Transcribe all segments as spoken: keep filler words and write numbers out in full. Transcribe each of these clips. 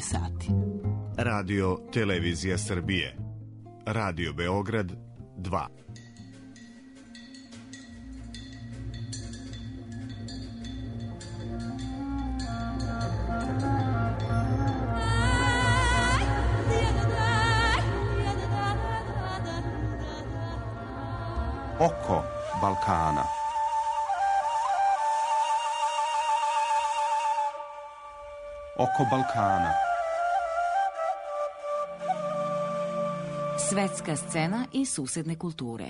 sati. Radio Televizija Srbije. Radio Beograd dva. Oko Balkana. Oko Balkana. Svetska scena i susedne kulture.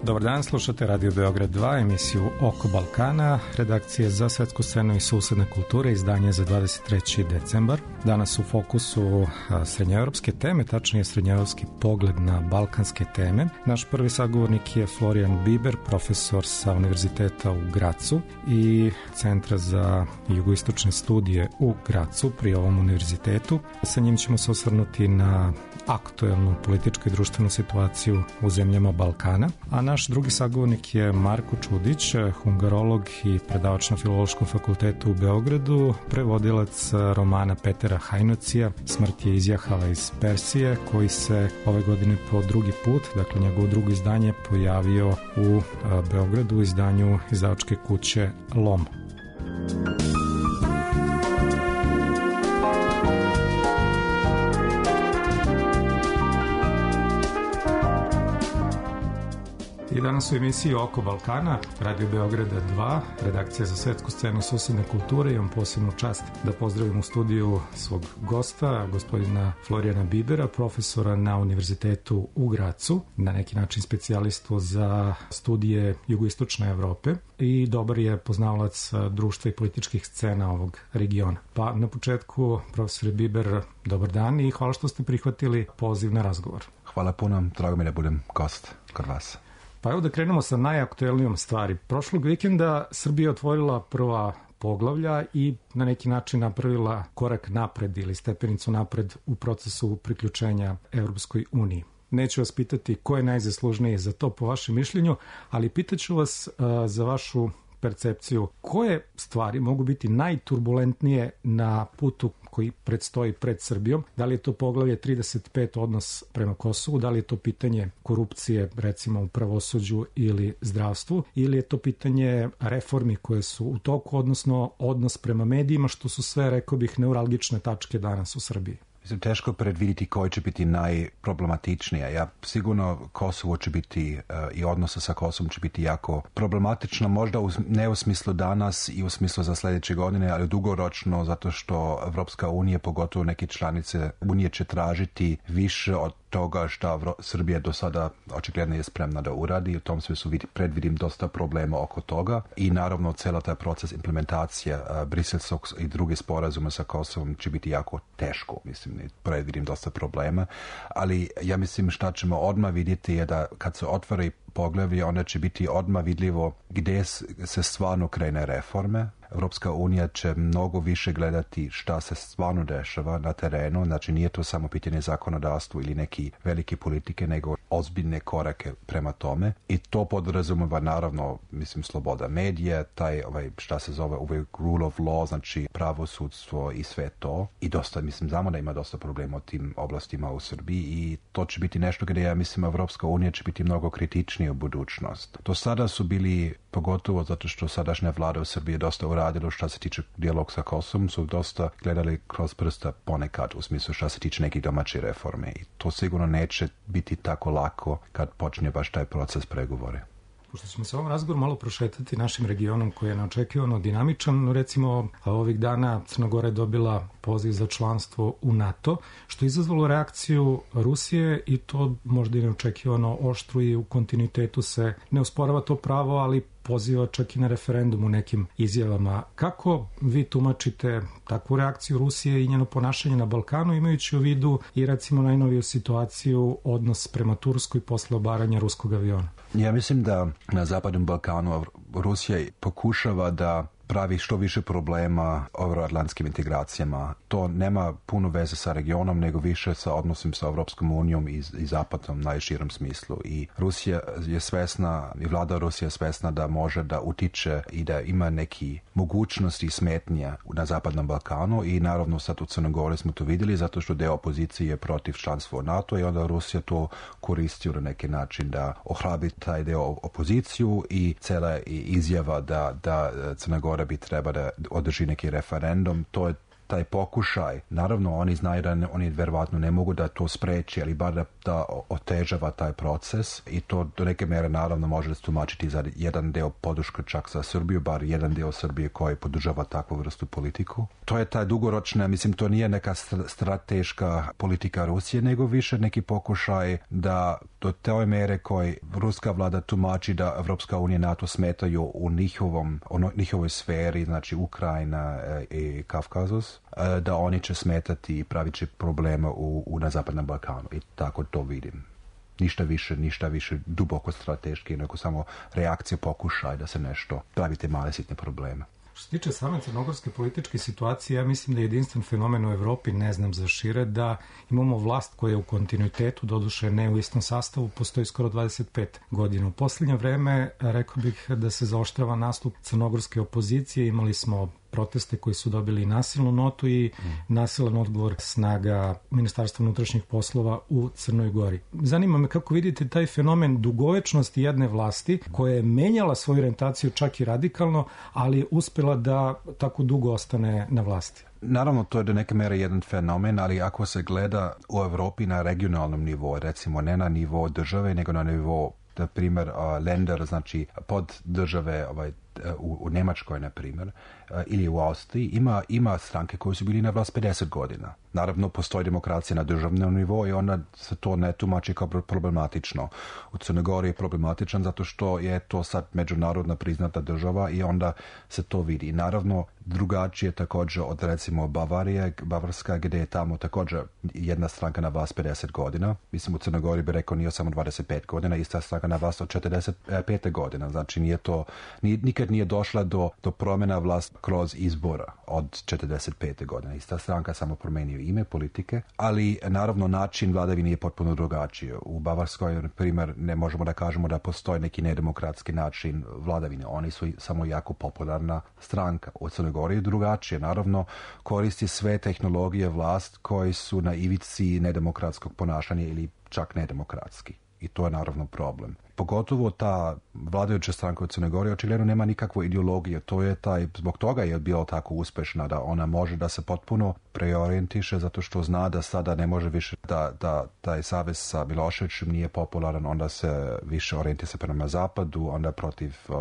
Dobar dan, slušate Radio Beograd dva, emisiju Oko Balkana, redakcije za svetsku scenu i susedne kulture, izdanje za dvadeset treći decembar. Danas u fokusu srednjoevropske teme, tačnije srednjoevropski pogled na balkanske teme. Naš prvi sagovornik je Florijan Biber, profesor sa Univerziteta u Gracu i Centra za jugoistočne studije u Gracu pri ovom univerzitetu. Sa njim ćemo se osvrnuti na aktuelnu političku i društvenu situaciju u zemljama Balkana, a naš drugi sagovornik je Marko Čudić, hungarolog i predavač na Filološkom fakultetu u Beogradu, prevodilac romana Petera Hajnocija Smrt je izjahala iz Persije, koji se ove godine po drugi put, dakle njegovo drugo izdanje, pojavio u Beogradu u izdanju izdavačke kuće Lom. I danas u emisiji Oko Balkana, Radio Beograda dva, redakcija za svetsku scenu i susedne kulture. Imam posebnu čast da pozdravim u studiju svog gosta, gospodina Florijana Bibera, profesora na Univerzitetu u Gracu, na neki način specijalistu za studije jugoistočne Evrope i dobar je poznavalac društva i političkih scena ovog regiona. Pa na početku, profesor Biber, dobar dan i hvala što ste prihvatili poziv na razgovor. Hvala puno, drago mi da budem gost kod vas. Pa evo da krenemo sa najaktuelnijom stvari. Prošlog vikenda Srbija otvorila prva poglavlja i na neki način napravila korak napred ili stepenicu napred u procesu priključenja Evropskoj uniji. Neću vas pitati ko je najzaslužniji za to po vašem mišljenju, ali pitaću vas uh, za vašu percepciju. Koje stvari mogu biti najturbulentnije na putu koji predstoji pred Srbijom? Da li je to poglavlje trideset pet odnos prema Kosovu, da li je to pitanje korupcije recimo u pravosuđu ili zdravstvu, ili je to pitanje reformi koje su u toku, odnosno odnos prema medijima, što su sve, rekao bih, neuralgične tačke danas u Srbiji? Mislim, teško predviditi koji će biti najproblematičnija. Ja sigurno Kosovo će biti uh, i odnosa sa Kosovom će biti jako problematično, možda u, ne u smislu danas i u smislu za sljedeće godine, ali dugoročno, zato što Evropska unija, pogotovo neke članice Unije, će tražiti više od toga što Srbija do sada očigledno je spremna da uradi. U tom smislu predvidim dosta problema oko toga i naravno cijela taj proces implementacije uh, briselskog i druge sporazuma sa Kosovom će biti jako teško, mislim, predvidim dosta problema, ali ja mislim šta ćemo odmah vidjeti je da kad se otvori poglavlje, onda će biti odmah vidljivo gdje se stvarno krene reforme. Evropska unija će mnogo više gledati šta se stvarno dešava na terenu, znači nije to samo pitanje zakonodavstva ili neki velike politike, nego ozbiljne korake prema tome i to podrazumeva naravno, mislim, sloboda medija, taj ovaj, šta se zove ovaj rule of law, znači pravosudstvo i sve to i dosta, mislim, znamo da ima dosta problema u tim oblastima u Srbiji i to će biti nešto gdje ja mislim Evropska unija će biti mnogo kritičnija u budućnost. Do sada su bili, pogotovo zato što sadašnja vlada u Srbiji dosta uradilo što se tiče dijalog sa Kosovom, su dosta gledali kroz prsta ponekad u smislu što se tiče nekih domaće reforme i to sigurno neće biti tako lako kad počne baš taj proces pregovore. Pošto ćemo se ovom razgovoru malo prošetati našim regionom koji je neočekivano dinamičan, recimo ovih dana Crna Gora je dobila poziv za članstvo u NATO, što je izazvalo reakciju Rusije i to možda i neočekivano oštru i u kontinuitetu se ne osporava to pravo, ali poziva čak i na referendum u nekim izjavama. Kako vi tumačite takvu reakciju Rusije i njeno ponašanje na Balkanu, imajući u vidu i recimo najnoviju situaciju, odnos prema Turskoj posle obaranja ruskog aviona? Ja mislim da na Zapadnom Balkanu Rusija pokušava da pravi što više problema euroatlantskim integracijama. To nema puno veze sa regionom, nego više sa odnosom sa Evropskom unijom i, i Zapadom najširem smislu. I Rusija je svesna, i vlada Rusije je svesna da može da utiče i da ima neki mogućnosti i smetnje na Zapadnom Balkanu i naravno sad u Crnoj Gori smo to vidjeli zato što deo opozicije je protiv članstva u NATO i onda Rusija to koristi na neki način da ohrabri taj deo opoziciju i cela izjava da, da Crna Gora bi treba da održi neki referendum, to je taj pokušaj. Naravno, oni znaju da ne, oni verovatno ne mogu da to spreči, ali bar da, da otežava taj proces i to do neke mere naravno može da se tumačiti za jedan deo podrška čak za Srbiju, bar jedan deo Srbije koji podržava takvu vrstu politiku. To je taj dugoročna, mislim, to nije neka strateška politika Rusije, nego više neki pokušaj da do te mere koji ruska vlada tumači da Evropska unija i NATO smetaju u njihovom, ono, njihovoj sferi, znači Ukrajina i Kavkazus, da oni će smetati i pravit će problema u, u, na Zapadnom Balkanu. I tako to vidim. Ništa više, ništa više duboko strateški, nego samo reakcija, pokušaj da se nešto pravite male sitne probleme. Što se tiče same crnogorske političke situacije, ja mislim da je jedinstven fenomen u Evropi, ne znam za šire, da imamo vlast koja je u kontinuitetu, doduše ne u istom sastavu, postoji skoro dvadeset pet godina. U posljednje vreme rekao bih da se zaoštrava nastup crnogorske opozicije, imali smo proteste koji su dobili nasilnu notu i nasilan odgovor snaga Ministarstva unutrašnjih poslova u Crnoj Gori. Zanima me kako vidite taj fenomen dugovečnosti jedne vlasti koja je menjala svoju orijentaciju čak i radikalno, ali je uspela da tako dugo ostane na vlasti. Naravno, to je do neke mere jedan fenomen, ali ako se gleda u Evropi na regionalnom nivou, recimo ne na nivou države, nego na nivou, na primjer, lender, znači pod države, ovaj, u, u Njemačkoj, na primjer, ili u Austriji, ima, ima stranke koje su bili na vlast pedeset godina. Naravno, postoji demokracija na državnom nivou i onda se to ne tumači kao problematično. U Crnoj Gori je problematičan zato što je to sad međunarodna priznata država i onda se to vidi. Naravno, drugačije također od recimo Bavarije, Bavarska, gdje je tamo također jedna stranka na vlast pedeset godina. Mislim, u Crnoj Gori bi rekao nije samo dvadeset pet godina, ista stranka na vlast od četrdeset pet godina. Znači, nije to, nije, nikad nije došla do, do promjena vlast kroz izbora od četrdeset pet godina. Ista stranka samo promenio ime politike, ali naravno način vladavine je potpuno drugačiji. U Bavarskoj, na primjer, ne možemo da kažemo da postoji neki nedemokratski način vladavine. Oni su samo jako popularna stranka. U Crnoj Gori je drugačije. Naravno, koristi sve tehnologije vlast koji su na ivici nedemokratskog ponašanja ili čak nedemokratski. I to je naravno problem. Pogotovo ta vladajuća stranka u Crnoj Gori očigledno nema nikakvu ideologiju. To je taj, zbog toga je bila tako uspešna da ona može da se potpuno preorijentiše zato što zna da sada ne može više da, da taj savez sa Miloševićem nije popularan, onda se više orijentira prema zapadu, onda protiv uh,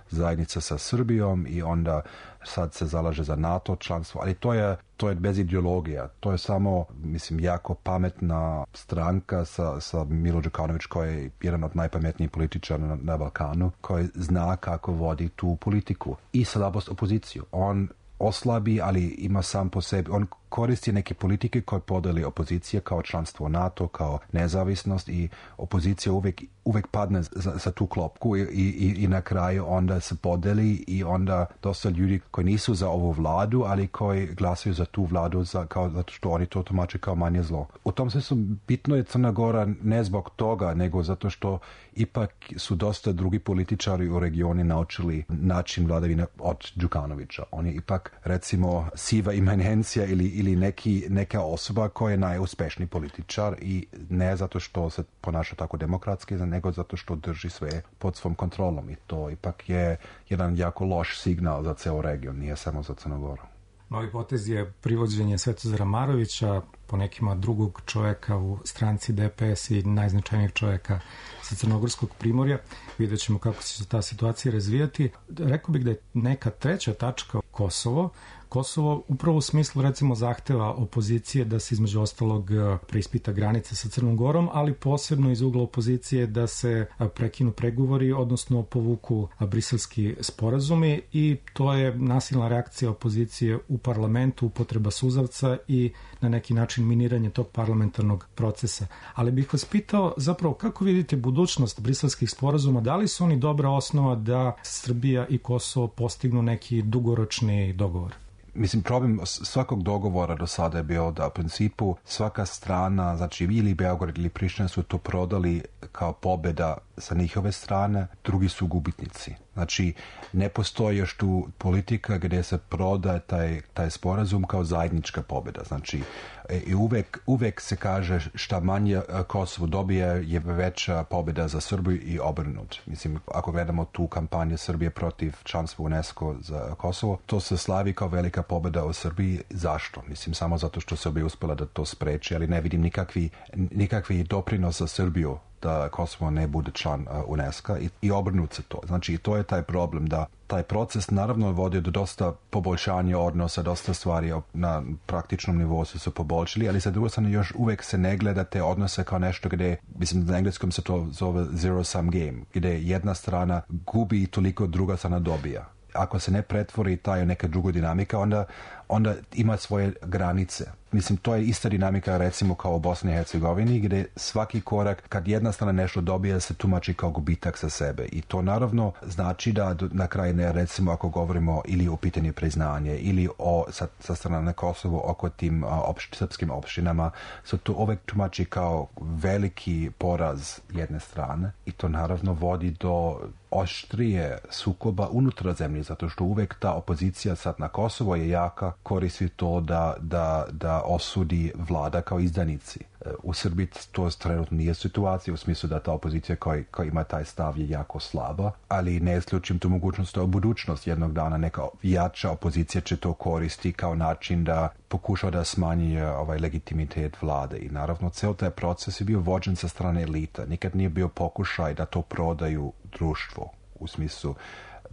zajednice sa Srbijom i onda sad se zalaže za NATO članstvo, ali to je, to je bez ideologija. To je samo, mislim, jako pametna stranka sa, sa Milo Đukanović koji je jedan od najpametnijih političara na, na Balkanu, koji zna kako vodi tu politiku i slabost opoziciju. On oslabi, ali ima sam po sebi, on koristi neke politike koje podeli opozicija kao članstvo NATO, kao nezavisnost i opozicija uvek, uvek padne za, za tu klopku i, i, i na kraju onda se podeli i onda dosta ljudi koji nisu za ovu vladu, ali koji glasaju za tu vladu za, kao, zato što oni to tumače kao manje zlo. U tom smislu bitno je Crna Gora ne zbog toga, nego zato što ipak su dosta drugi političari u regioni naučili način vladavine od Đukanovića. On je ipak, recimo, siva imanencija ili ili neki, neka osoba koja je najuspešniji političar i ne zato što se ponaša tako demokratski, nego zato što drži sve pod svom kontrolom i to ipak je jedan jako loš signal za ceo region, nije samo za Crnu Goru. Novi potez je privođenje Svetozara Marovića, po nekima drugog čovjeka u stranci D P S i najznačajnijeg čovjeka sa Crnogorskog primorja. Vidjet ćemo kako će se ta situacija razvijati. Rekao bih da je neka treća tačka Kosovo. Kosovo upravo u smislu recimo zahteva opozicije da se između ostalog preispita granice sa Crnom Gorom, ali posebno iz ugla opozicije da se prekinu pregovori, odnosno povuku briselski sporazumi i to je nasilna reakcija opozicije u parlamentu, upotreba suzavca i na neki način način miniranje tog parlamentarnog procesa. Ali bih vas pitao zapravo kako vidite budućnost briselskih sporazuma, da li su oni dobra osnova da Srbija i Kosovo postignu neki dugoročni dogovor? Mislim, problem svakog dogovora do sada je bio da u principu svaka strana, znači ili Beograd ili Priština su to prodali kao pobjeda sa njihove strane, drugi su gubitnici. Znači, ne postoji još tu politika gdje se prodaje taj, taj sporazum kao zajednička pobjeda. Znači, i uvek, uvek se kaže šta manje Kosovo dobije je veća pobjeda za Srbiju i obrnut. Mislim, ako gledamo tu kampanju Srbije protiv članstva UNESCO za Kosovo, to se slavi kao velika pobjeda u Srbiji. Zašto? Mislim, samo zato što Srbija uspjela da to spreči, ali ne vidim nikakvi, nikakvi doprinos za Srbiju da Kosovo ne bude član uh, UNESCO i, i obrnut se to. Znači, i to je taj problem da taj proces naravno vodi do dosta poboljšanja odnosa, dosta stvari na praktičnom nivou su se poboljšali, ali sa druge strane još uvijek se ne gleda te odnose kao nešto gdje, mislim, na engleskom se to zove zero sum game, gdje jedna strana gubi i toliko druga strana dobija. Ako se ne pretvori taj neka druga dinamika, onda, onda ima svoje granice. Mislim, to je ista dinamika recimo kao u Bosni i Hercegovini, gdje svaki korak, kad jedna strana nešto dobije, se tumači kao gubitak za sebe. I to naravno znači da na kraju, ne, recimo ako govorimo ili o pitanju priznanje, ili o, sa, sa strane na Kosovo oko tim opš, srpskim opštinama, se to uvek tumači kao veliki poraz jedne strane. I to naravno vodi do oštrije sukoba unutar zemlje, zato što uvek ta opozicija sad na Kosovo je jaka, koristi to da, da, da osudi vlada kao izdanici. U Srbiji to trenutno nije situacija, u smislu da ta opozicija koja, koja ima taj stav je jako slaba, ali ne isključim tu mogućnost da u budućnost jednog dana neka jača opozicija će to koristi kao način da pokuša da smanji ovaj legitimitet vlade. I naravno, ceo taj proces je bio vođen sa strane elita. Nikad nije bio pokušaj da to prodaju društvu, u smislu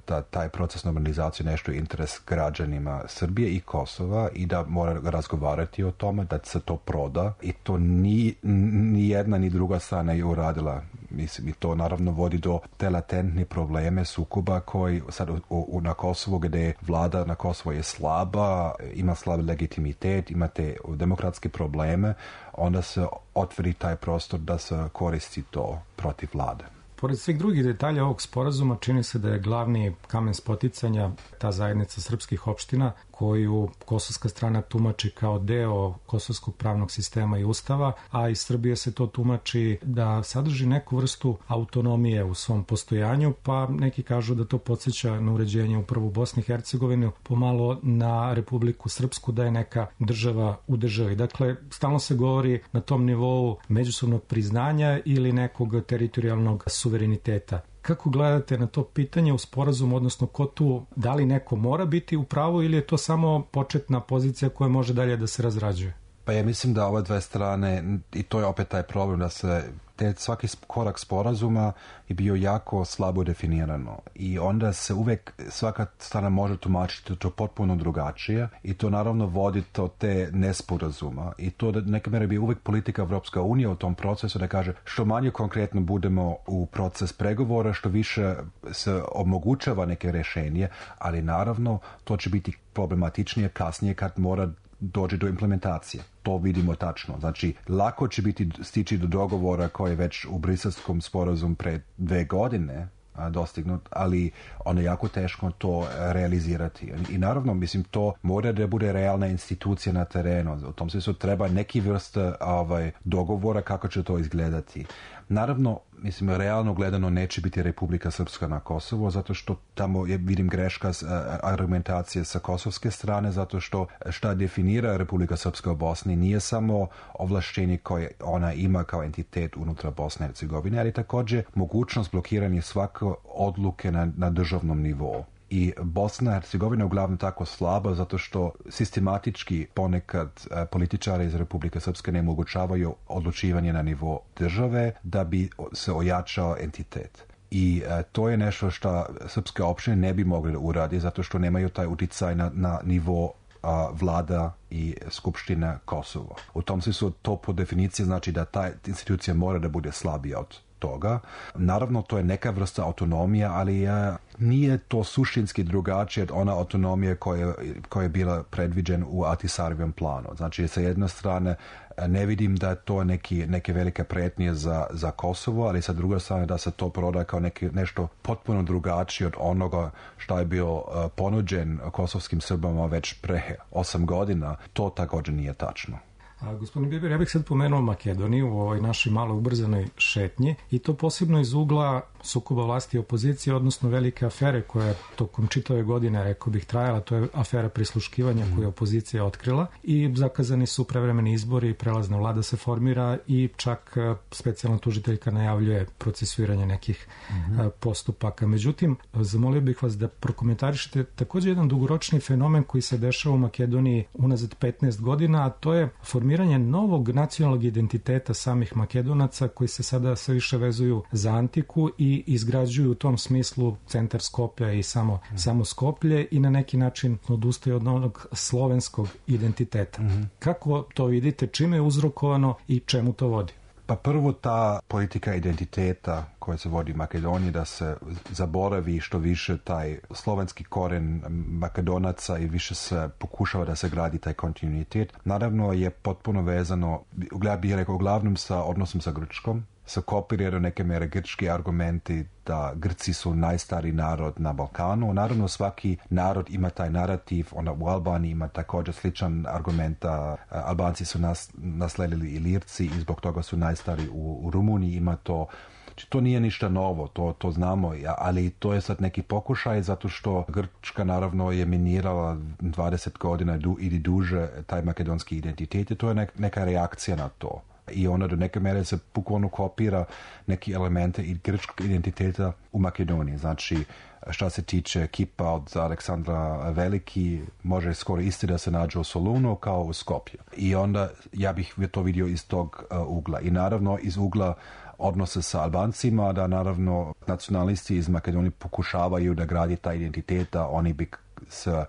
da taj proces normalizacije nešto je interes građanima Srbije i Kosova i da mora razgovarati o tome, da se to proda i to ni, ni jedna ni druga strana je uradila. Mislim, i to naravno vodi do te latentne probleme sukoba koji sad u, u, na Kosovu, gdje vlada na Kosovo je slaba, ima slab legitimitet, ima te demokratske probleme, onda se otvori taj prostor da se koristi to protiv vlade. Pored svih drugih detalja ovog sporazuma, čini se da je glavni kamen spoticanja ta zajednica srpskih opština, koju kosovska strana tumači kao deo kosovskog pravnog sistema i ustava, a iz Srbije se to tumači da sadrži neku vrstu autonomije u svom postojanju, pa neki kažu da to podsjeća na uređenje upravo u Bosni i Hercegovini, pomalo na Republiku Srpsku, da je neka država u državi. Dakle, stalno se govori na tom nivou međusobnog priznanja ili nekog teritorijalnog suvereniteta. Kako gledate na to pitanje u sporazumu, odnosno ko tu, da li neko mora biti u pravu ili je to samo početna pozicija koja može dalje da se razrađuje? Pa ja mislim da ove dve strane, i to je opet taj problem, da se te svaki korak sporazuma je bio jako slabo definirano i onda se uvek svaka strana može tumačiti to potpuno drugačije i to naravno vodi do te nesporazuma i to da neka mjera bi uvek politika Evropska unija u tom procesu da kaže što manje konkretno budemo u proces pregovora, što više se omogućava neke rješenje, ali naravno to će biti problematičnije kasnije kad mora dođe do implementacije. To vidimo tačno. Znači, lako će biti stići do dogovora koji je već u briselskom sporazumu pre dve godine a, dostignut, ali ono je jako teško to realizirati. I naravno, mislim, to mora da bude realna institucija na terenu. U tom smislu treba neki vrste ovaj, dogovora kako će to izgledati. Naravno, mislim, realno gledano neće biti Republika Srpska na Kosovo, zato što tamo je, vidim greška s, a, argumentacije sa kosovske strane, zato što šta definira Republika Srpska u Bosni nije samo ovlašćenje koje ona ima kao entitet unutra Bosne i Hercegovine, ali također mogućnost blokiranja svake odluke na, na državnom nivou. I Bosna i Hercegovina je uglavnom tako slaba zato što sistematički ponekad e, političari iz Republike Srpske ne omogućavaju odlučivanje na nivo države da bi se ojačao entitet. I e, to je nešto što srpske opštine ne bi mogli uraditi zato što nemaju taj uticaj na, na nivo a, vlada i skupština Kosovo. U tom smislu to po definiciji znači da ta institucija mora da bude slabija od toga. Naravno, to je neka vrsta autonomije, ali nije to suštinski drugačije od ona autonomije koja, koja je bila predviđena u Ahtisarijevom planu. Znači, sa jedne strane, ne vidim da je to neki, neke velike pretnje za, za Kosovo, ali sa druge strane da se to proda kao neki, nešto potpuno drugačije od onoga što je bio uh, ponuđen kosovskim Srbama već pre osam godina. To također nije tačno. A, gospodin Biber, ja bih sad pomenuo Makedoniju u ovoj našoj malo ubrzanoj šetnji i to posebno iz ugla sukoba vlasti i opozicije, odnosno velike afere koja je tokom čitave godine, rekao bih, trajala. To je afera prisluškivanja mm. koju je opozicija otkrila i zakazani su prevremeni izbori, prelazna vlada se formira i čak specijalna tužiteljka najavljuje procesuiranje nekih mm-hmm. postupaka. Međutim, zamolio bih vas da prokomentarišete također jedan dugoročni fenomen koji se dešava u Makedoniji unazad petnaest godina, a to je formiranje novog nacionalnog identiteta samih Makedonaca koji se sada sve više vezuju za antiku i izgrađuju u tom smislu centar Skoplja i samo, mm. samo Skoplje i na neki način odustaju od onog slovenskog identiteta. Mm-hmm. Kako to vidite, čime je uzrokovano i čemu to vodi? Pa prvo ta politika identiteta koja se vodi u Makedoniji, da se zaboravi što više taj slovenski koren Makedonaca i više se pokušava da se gradi taj kontinuitet. Naravno je potpuno vezano, ja bih rekao, uglavnom sa odnosom sa Grčkom. Se kopiraju do neke mere grčki argumenti da Grci su najstariji narod na Balkanu. Naravno, svaki narod ima taj narativ. Onda u Albaniji ima također sličan argument da Albanci su nas, nasledili Ilirci i zbog toga su najstariji. U, u Rumuniji ima to. Znači, to nije ništa novo, to, to znamo, ali to je sad neki pokušaj zato što Grčka naravno je minirala dvadeset godina du, ili duže taj makedonski identitet i to je nek, neka reakcija na to. I ona do neke mere se bukvalno kopira neki elemente i grčkog identiteta u Makedoniji. Znači, što se tiče kipa od Aleksandra Veliki, može skoro isti da se nađe u Solunu kao u Skopju. I onda ja bih to vidio iz tog uh, ugla. I naravno iz ugla odnose sa Albancima, da naravno nacionalisti iz Makedonije pokušavaju da gradi taj identitet, a oni bi se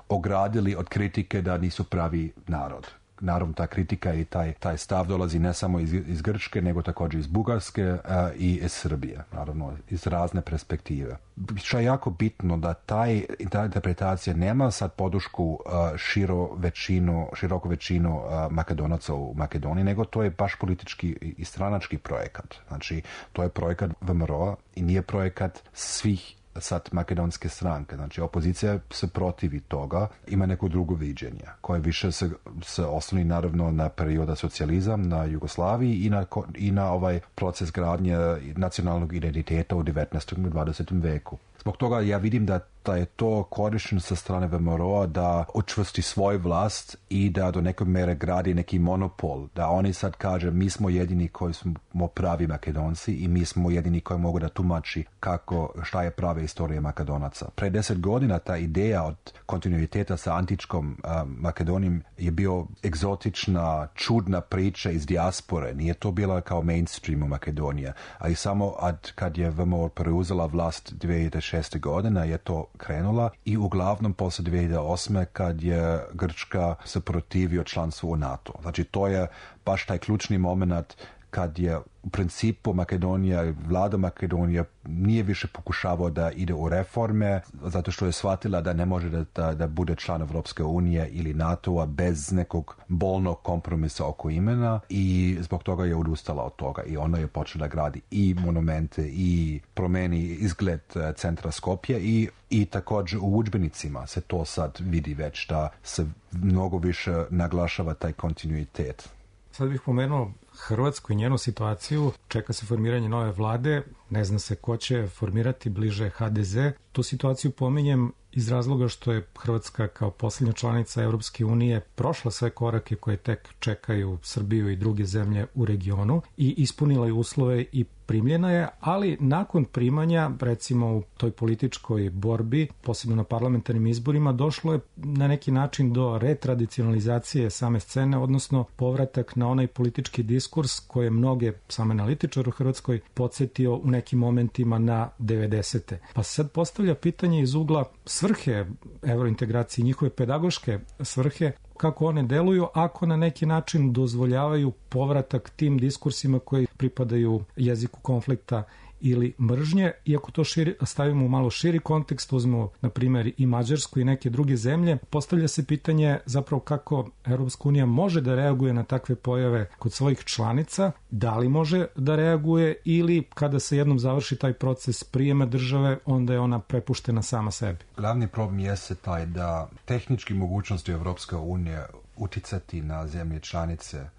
ogradili od kritike da nisu pravi narod. Naravno, ta kritika i taj, taj stav dolazi ne samo iz, iz Grčke, nego također iz Bugarske uh, i iz Srbije, naravno, iz razne perspektive. Što je jako bitno da taj, ta interpretacija nema sad podršku uh, širo većinu, široku većinu uh, Makedonaca u Makedoniji, nego to je baš politički i stranački projekat. Znači, to je projekat V M R O-a i nije projekat svih sad makedonske stranke. Znači, opozicija se protivi toga, ima neko drugo viđenje, koje više se, se osloni naravno na perioda socijalizam, na Jugoslaviji i na, i na ovaj proces gradnje nacionalnog identiteta u devetnaestom i dvadesetom veku. Zbog toga ja vidim da, da je to korišteno sa strane V M R O-a da učvrsti svoj vlast i da do neke mere gradi neki monopol. Da oni sad kaže mi smo jedini koji smo pravi Makedonci i mi smo jedini koji mogu da tumači kako, šta je prava istorija Makedonaca. Pre deset godina ta ideja od kontinuiteta sa antičkom uh, Makedonijom je bio egzotična, čudna priča iz dijaspore. Nije to bila kao mainstream u Makedonije. Ali samo ad, kad je V M R O preuzela vlast dvije hiljade šeste godine je to krenula i uglavnom posle dvije hiljade osme kad je Grčka se protivio članstvu u NATO. Znači to je baš taj ključni moment kad je u principu Makedonija, vlada Makedonije nije više pokušavao da ide u reforme, zato što je shvatila da ne može da, da, da bude član Evropske unije ili NATO-a bez nekog bolnog kompromisa oko imena i zbog toga je odustala od toga i ona je počela gradi i monumente i promeni izgled centra Skopje i, i također u udžbenicima se to sad vidi već da se mnogo više naglašava taj kontinuitet. Sad bih pomenuo Hrvatsku i njenu situaciju. Čeka se formiranje nove vlade, ne zna se ko će formirati, bliže H D Z. Tu situaciju pominjem iz razloga što je Hrvatska kao posljednja članica Europske unije prošla sve korake koje tek čekaju Srbiju i druge zemlje u regionu i ispunila je uslove i primljena je, ali nakon primanja, recimo u toj političkoj borbi, posebno na parlamentarnim izborima, došlo je na neki način do retradicionalizacije same scene, odnosno povratak na onaj politički diskurs koji je mnoge, sam analitičar u Hrvatskoj, podsjetio u nekim momentima na devedesete. Pa sad postavlja pitanje iz ugla svrhe evrointegracije, njihove pedagoške svrhe, kako one deluju ako na neki način dozvoljavaju povratak tim diskursima koji pripadaju jeziku konflikta ili mržnje, iako to širi, stavimo u malo širi kontekst, uzmemo na primjer i Mađarsku i neke druge zemlje, postavlja se pitanje zapravo kako Europska unija može da reaguje na takve pojave kod svojih članica, da li može da reaguje ili kada se jednom završi taj proces prijema države, onda je ona prepuštena sama sebi. Glavni problem jeste taj da tehnički mogućnosti Europske unije uticati na zemlje članice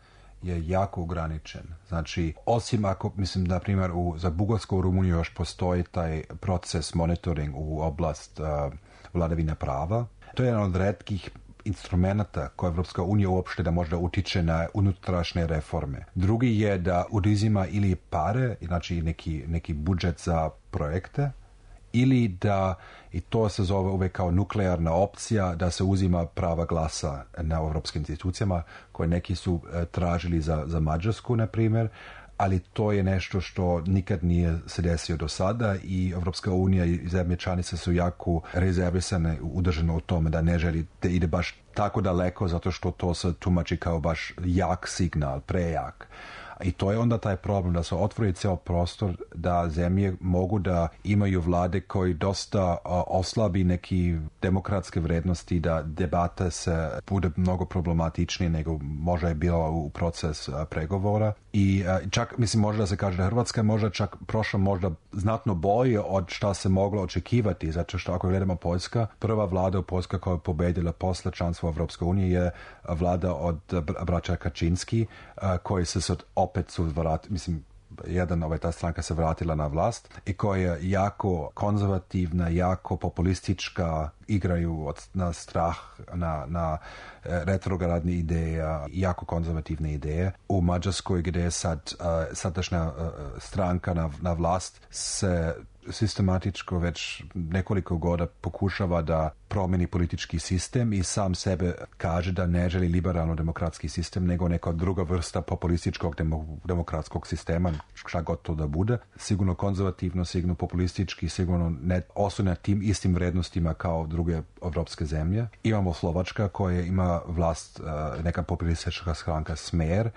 je jako ograničen. Znači, osim ako, mislim, na primjer, u, za Bugarsku u Rumuniju još postoji taj proces monitoring u oblast uh, vladavine prava. To je jedan od retkih instrumenta koje Evropska unija uopšte da možda utiče na unutrašnje reforme. Drugi je da uzima ili pare, znači neki, neki budžet za projekte, ili da, i to se zove uvek kao nuklearna opcija, da se uzima prava glasa na evropskim institucijama koje neki su e, tražili za, za Mađarsku, na primjer, ali to je nešto što nikad nije se desio do sada i Evropska unija i zemlje članice su jako rezervisane, udržane u tome da ne želi da ide baš tako daleko zato što to se tumači kao baš jak signal, prejak. I to je onda taj problem da se otvori cijel prostor da zemlje mogu da imaju vlade koji dosta uh, oslabi neki demokratske vrednosti, da debata se bude mnogo problematičnije nego možda je bilo u proces uh, pregovora. I uh, čak, mislim, možda se kaže da Hrvatska možda čak prošla možda znatno bolje od šta se moglo očekivati, zato što ako gledamo Poljska, prva vlada u Poljska koja je pobedila posle članstva u Evropskoj uniji je vlada od braća Kačinski, uh, koji se sad opet su vratili, mislim, jedan, ovaj, ta stranka se vratila na vlast i koja je jako konzervativna, jako populistička, igraju od, na strah, na, na retrogradne ideje, jako konzervativne ideje. U Mađarskoj gdje je sad uh, sadašnja uh, stranka na, na vlast se sistematičko već nekoliko godina pokušava da promeni politički sistem i sam sebe kaže da ne želi liberalno-demokratski sistem, nego neka druga vrsta populističkog demokratskog sistema, šta god to da bude. Sigurno konzervativno, sigurno populistički, sigurno ne oslanja tim istim vrednostima kao druge evropske zemlje. Imamo Slovačka koja ima vlast, neka populistička stranka Smer,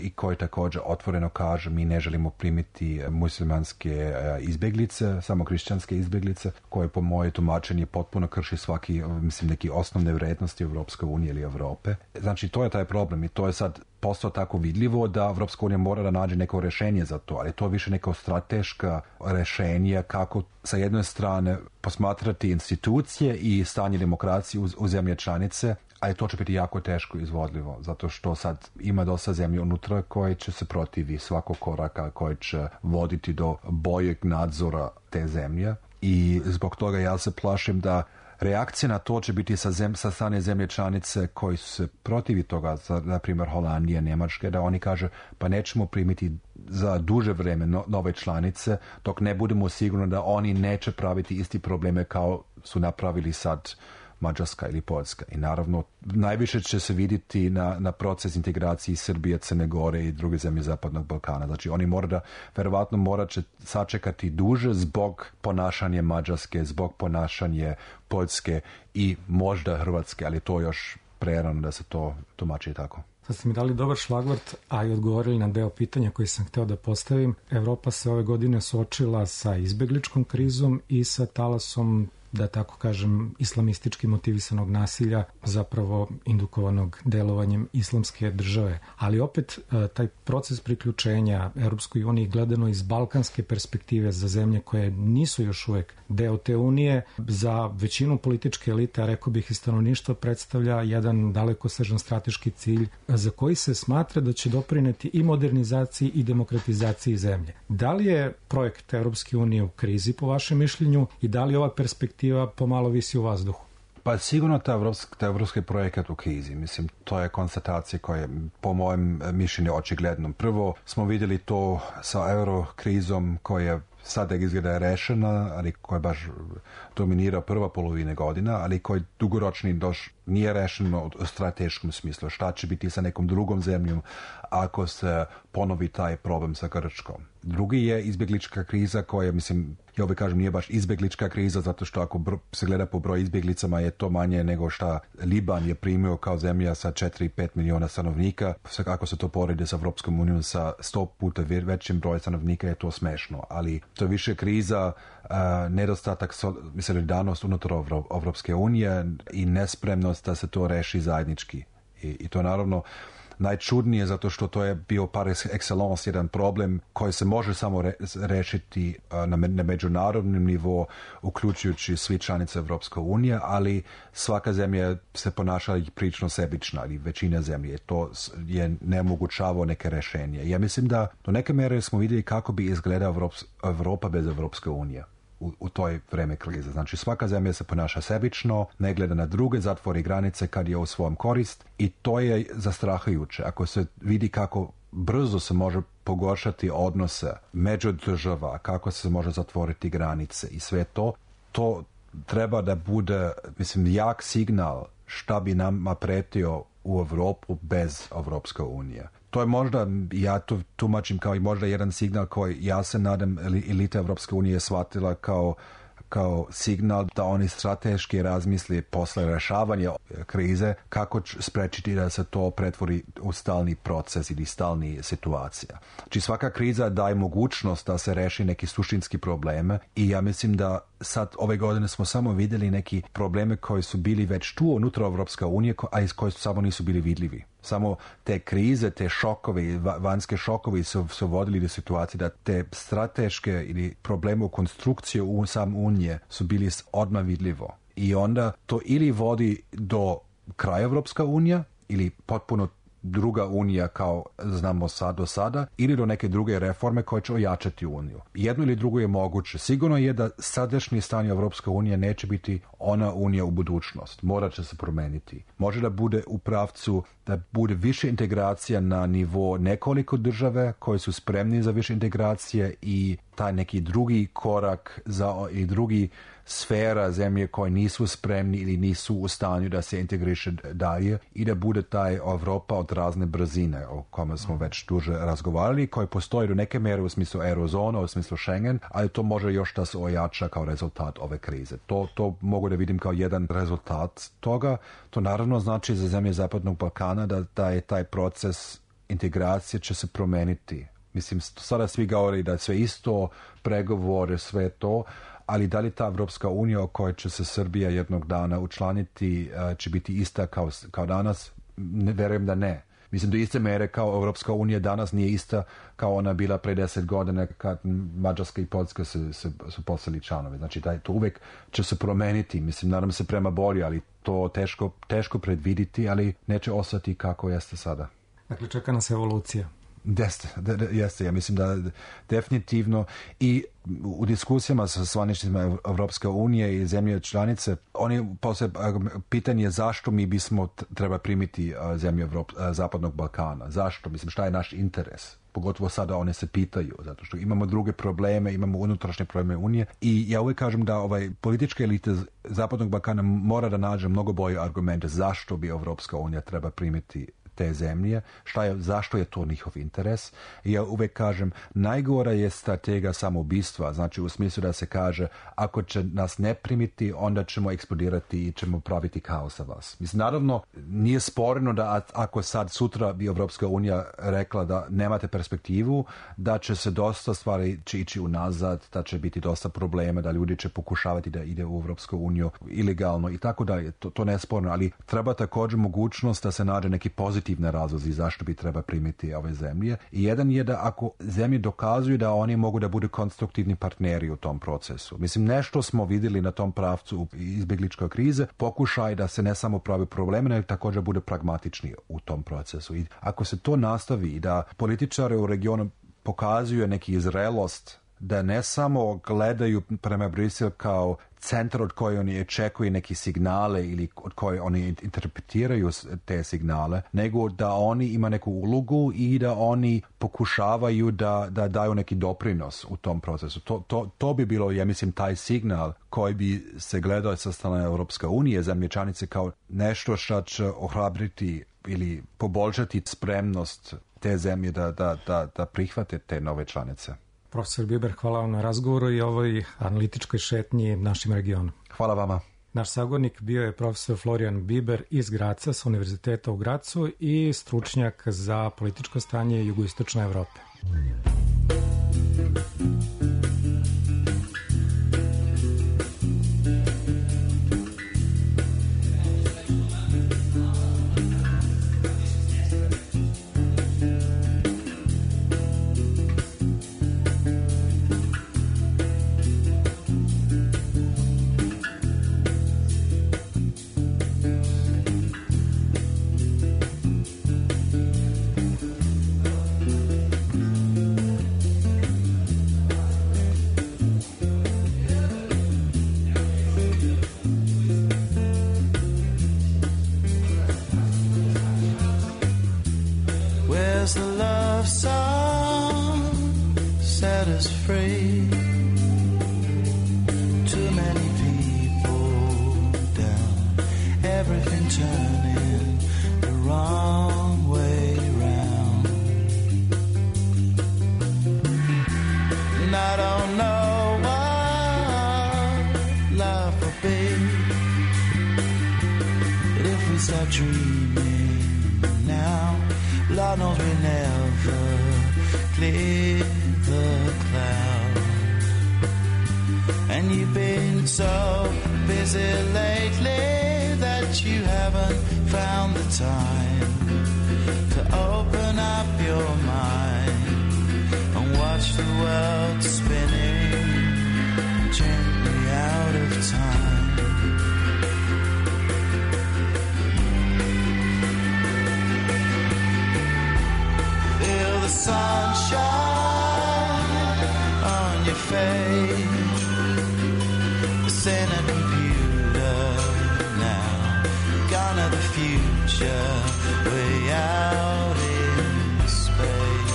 i koji također otvoreno kaže mi ne želimo primiti muslimanske izbjeglice, samo kršćanske izbjeglice, koje po moje tumačenje potpuno krši svaki, mislim, neki osnovne vrednosti Evropske unije ili Europe. Znači, to je taj problem i to je sad postao tako vidljivo da Evropska unija mora da nađe neko rješenje za to, ali to je više neko strateška rješenje kako sa jedne strane posmatrati institucije i stanje demokracije u, u zemlje članice, ali to će biti jako teško izvodljivo, zato što sad ima dosta zemlje unutra koje će se protivi svakog koraka koji će voditi do boljeg nadzora te zemlje i zbog toga ja se plašim da reakcija na to će biti sa, zem, sa strane zemlje članice koji su se protivi toga, za, na primjer Holandija, Njemačke, da oni kaže pa nećemo primiti za duže vreme no, nove članice dok ne budemo sigurni da oni neće praviti isti probleme kao su napravili sad Mađarska ili Poljska. I naravno, najviše će se vidjeti na, na proces integracije Srbije, Crne Gore i druge zemlje Zapadnog Balkana. Znači, oni mora da, verovatno morat će sačekati duže zbog ponašanja Mađarske, zbog ponašanja Poljske i možda Hrvatske, ali to još prerano da se to tumači tako. Sad ste mi dali dobar šlagvort, a i odgovorili na deo pitanja koji sam hteo da postavim. Evropa se ove godine suočila sa izbegličkom krizom i sa talasom, da tako kažem, islamistički motivisanog nasilja, zapravo indukovanog delovanjem islamske države. Ali opet taj proces priključenja Europskoj uniji gledano iz balkanske perspektive za zemlje koje nisu još uvek deo te unije, za većinu političke elite, a rekao bih i stanovništva, predstavlja jedan dalekosežan strateški cilj za koji se smatra da će doprineti i modernizaciji i demokratizaciji zemlje. Da li je projekt Europske unije u krizi po vašem mišljenju i da li ova perspektiva pomalo visi u vazduhu? Pa sigurno ta evropski, ta evropski projekat u krizi. Mislim, to je konstatacija koja je po mojem mišljenju očigledno. Prvo smo vidjeli to sa eurokrizom koja sada izgleda je rešena, ali koja baš dominira prva polovina godina, ali koji dugoročni doš nije rešeno u strateškom smislu. Šta će biti sa nekom drugom zemljom ako se ponovi taj problem sa Grčkom? Drugi je izbjeglička kriza koja, mislim, ja uvijek kažem, nije baš izbjeglička kriza, zato što ako br- se gleda po broju izbjeglicama je to manje nego šta Liban je primio kao zemlja sa četiri do pet miliona stanovnika. Ako se to poredi sa Evropskom unijom sa sto puta većim brojem stanovnika je to smešno. Ali to je više kriza, uh, nedostatak solidarnost unutar Evropske unije i nespremnost da se to reši zajednički. I, i to naravno najčudnije zato što to je bio par excellence jedan problem koji se može samo re, rešiti na, na međunarodnom nivou, uključujući svi članice Evropske unije, ali svaka zemlja se ponaša prilično sebična, ali većina zemlje. To je nemogućavo neke rešenje. Ja mislim da do neke mere smo vidjeli kako bi izgledala Evropa bez Evropske unije. U, u toj vreme krize. Znači svaka zemlja se ponaša sebično, ne gleda na druge, zatvori granice kad je u svom korist i to je zastrahujuće. Ako se vidi kako brzo se može pogoršati odnose među država, kako se može zatvoriti granice i sve to, to treba da bude, mislim, jak signal šta bi nama pretio u Evropu bez Evropske unije. To je možda, ja to tumačim kao i možda jedan signal koji ja se nadam elita Evropske unije shvatila kao, kao signal da oni strateški razmisli posle rešavanja krize kako sprečiti da se to pretvori u stalni proces ili stalni situacija. Znači svaka kriza daje mogućnost da se reši neki suštinski probleme i ja mislim da sad ove godine smo samo vidjeli neki probleme koji su bili već tu unutra Evropska unije, a iz koji samo nisu bili vidljivi. Samo te krize, te šokovi, vanjske šokovi su, su vodili do situacije da te strateške ili probleme u konstrukciju u sam unije su bili odmah vidljivo. I onda to ili vodi do kraja Evropska unija ili potpuno druga unija kao znamo sad do sada ili do neke druge reforme koje će ojačati uniju. Jedno ili drugo je moguće. Sigurno je da sadašnje stanje Evropske unije neće biti ona unija u budućnost. Morat će se promeniti. Može da bude u pravcu da bude više integracija na nivo nekoliko države koje su spremni za više integracije i taj neki drugi korak za i drugi sfera zemlje koje nisu spremni ili nisu u stanju da se integriše dalje i da bude taj Evropa od razne brzine o kome smo već duže razgovarali, koji postoji do neke mere u smislu eurozona, u smislu Schengen, ali to može još da se ojača kao rezultat ove krize. To, to mogu da vidim kao jedan rezultat toga. To naravno znači za zemlje Zapadnog Balkana da, da je taj proces integracije će se promeniti. Mislim, sada svi govori da sve isto, pregovore, sve to, ali da li ta Evropska unija o kojoj će se Srbija jednog dana učlaniti će biti ista kao, kao danas? Ne, verujem da ne. Mislim da iste mere kao Evropska unija danas nije ista kao ona bila pre deset godina kad Mađarska i Poljska su, su, su postali članovi. Znači da to uvek će se promeniti. Mislim, nadam se prema bolje, ali to teško, teško predviditi, ali neće ostati kako jeste sada. Dakle, čeka nas evolucija. Jeste, jeste, ja mislim da definitivno i u diskusijama sa zvaničnicima Evropske unije i zemlje članice, oni posle pitanje zašto mi bismo treba primiti zemlje Evrop, Zapadnog Balkana, zašto, mislim šta je naš interes. Pogotovo sada one se pitaju, zato što imamo druge probleme, imamo unutrašnje probleme Unije i ja uvijek kažem da ovaj političke elite Zapadnog Balkana mora da nađe mnogo bolje argumente zašto bi Evropska unija treba primiti te zemlje, šta je, zašto je to njihov interes. I ja uvijek kažem, najgora je strategija samoubistva, znači u smislu da se kaže, ako će nas ne primiti, onda ćemo eksplodirati i ćemo praviti kaos za vas. Mislim, naravno, nije sporno da ako sad sutra bi Evropska unija rekla da nemate perspektivu, da će se dosta stvari će ići unazad, da će biti dosta problema, da ljudi će pokušavati da ide u Evropsku uniju ilegalno i tako dalje. To, to ne je sporno, ali treba također mogućnost da se nađe neki pozitivni razlozi zašto bi treba primiti ove zemlje. I jedan je da ako zemlje dokazuju da oni mogu da budu konstruktivni partneri u tom procesu. Mislim, nešto smo vidjeli na tom pravcu u izbjegličkoj krize, pokušaj da se ne samo pravi probleme, nego također bude pragmatični u tom procesu. I ako se to nastavi i da političari u regionu pokazuju neki zrelost da ne samo gledaju prema Brisel kao centar od koje oni očekuju neki signale ili od koje oni interpretiraju te signale, nego da oni ima neku ulogu i da oni pokušavaju da, da daju neki doprinos u tom procesu. To, to, to bi bilo, ja mislim, taj signal koji bi se gledao sa strane Europske unije, zemlje članice, kao nešto što će ohrabriti ili poboljšati spremnost te zemlje da, da, da, da prihvate te nove članice. Profesor Biber, hvala vam na razgovoru i ovoj analitičkoj šetnji našim regionom. Hvala vama. Naš sagovornik bio je profesor Florian Biber iz Graca sa Univerziteta u Gracu i stručnjak za političko stanje jugoistočne Evrope. Where's the love song set us free? Too many people down, everything turning the wrong way round. And I don't know what life will be, but if we start dreaming now, Lord knows we never clear the cloud. And you've been so busy lately that you haven't found the time to open up your mind and watch the world spinning gently out of time. Sunshine on your face, it's in a computer now, gone to the future, way out in space.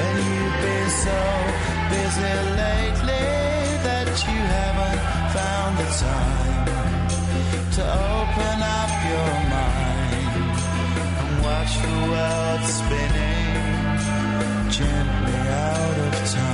And you've been so busy lately that you haven't found the time to open up your mind and watch the world spinning gently out of time.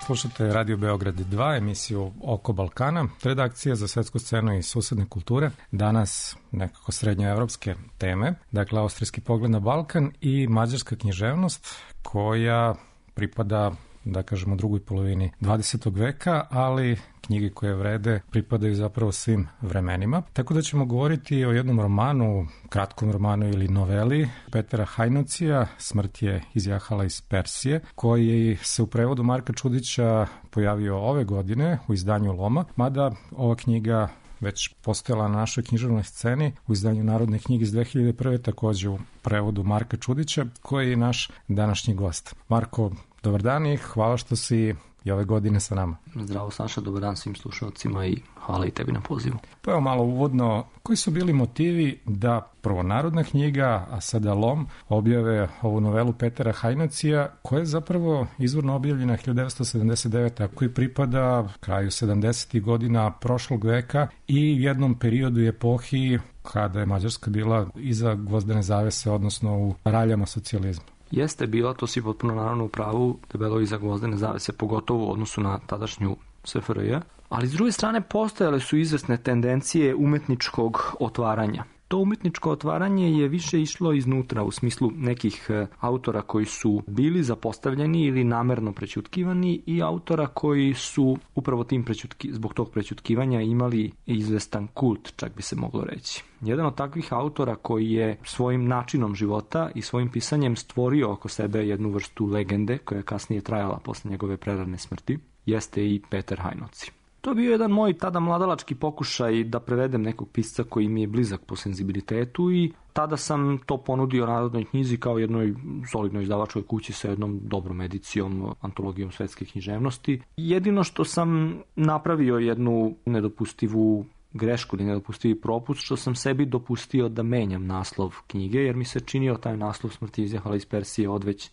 Slušate Radio Beograd dva, emisiju Oko Balkana, redakcija za svetsku scenu i susedne kulture. Danas nekako srednjoevropske teme, dakle austrijski pogled na Balkan i mađarska književnost koja pripada, da kažemo, drugoj polovini dvadesetog veka, ali knjige koje vrede pripadaju zapravo svim vremenima. Tako da ćemo govoriti o jednom romanu, kratkom romanu ili noveli Petera Hajnocija, Smrt je izjahala iz Persije, koji se u prevodu Marka Čudića pojavio ove godine u izdanju Loma, mada ova knjiga već postojala na našoj književnoj sceni u izdanju Narodne knjige iz dve hiljade prve, takođe u prevodu Marka Čudića, koji je naš današnji gost. Marko, Dobar dan i hvala što si i ove godine sa nama. Zdravo Saša, dobar dan svim slušalcima i hvala i tebi na pozivu. Pa evo malo uvodno, koji su bili motivi da prvo Narodna knjiga, a sada Lom, objave ovu novelu Petera Hajnocija, koja je zapravo izvorno objavljena hiljadu devetsto sedamdeset devete. a koji pripada kraju sedamdesetih godina prošlog veka i jednom periodu i epohi kada je Mađarska bila iza gvozdene zavese, odnosno u raljama socijalizma. Jeste bila, to si potpuno naravno u pravu, debelo iza gvozdene zavese, pogotovo u odnosu na tadašnju S F R J, ali s druge strane postojale su izvesne tendencije umetničkog otvaranja. To umetničko otvaranje je više išlo iznutra u smislu nekih autora koji su bili zapostavljeni ili namerno prećutkivani i autora koji su upravo tim prećutki, zbog tog prećutkivanja imali izvestan kult, čak bi se moglo reći. Jedan od takvih autora koji je svojim načinom života i svojim pisanjem stvorio oko sebe jednu vrstu legende koja je kasnije trajala posle njegove prerane smrti, jeste i Peter Hajnoci. To je bio jedan moj tada mladalački pokušaj da prevedem nekog pisca koji mi je blizak po senzibilitetu i tada sam to ponudio Narodnoj knjizi kao jednoj solidnoj izdavačkoj kući sa jednom dobrom edicijom, antologijom svetske književnosti. Jedino što sam napravio jednu nedopustivu grešku ili nedopustivi propust, što sam sebi dopustio da menjam naslov knjige, jer mi se činio taj naslov Smrt izjahala iz Persije odveć e,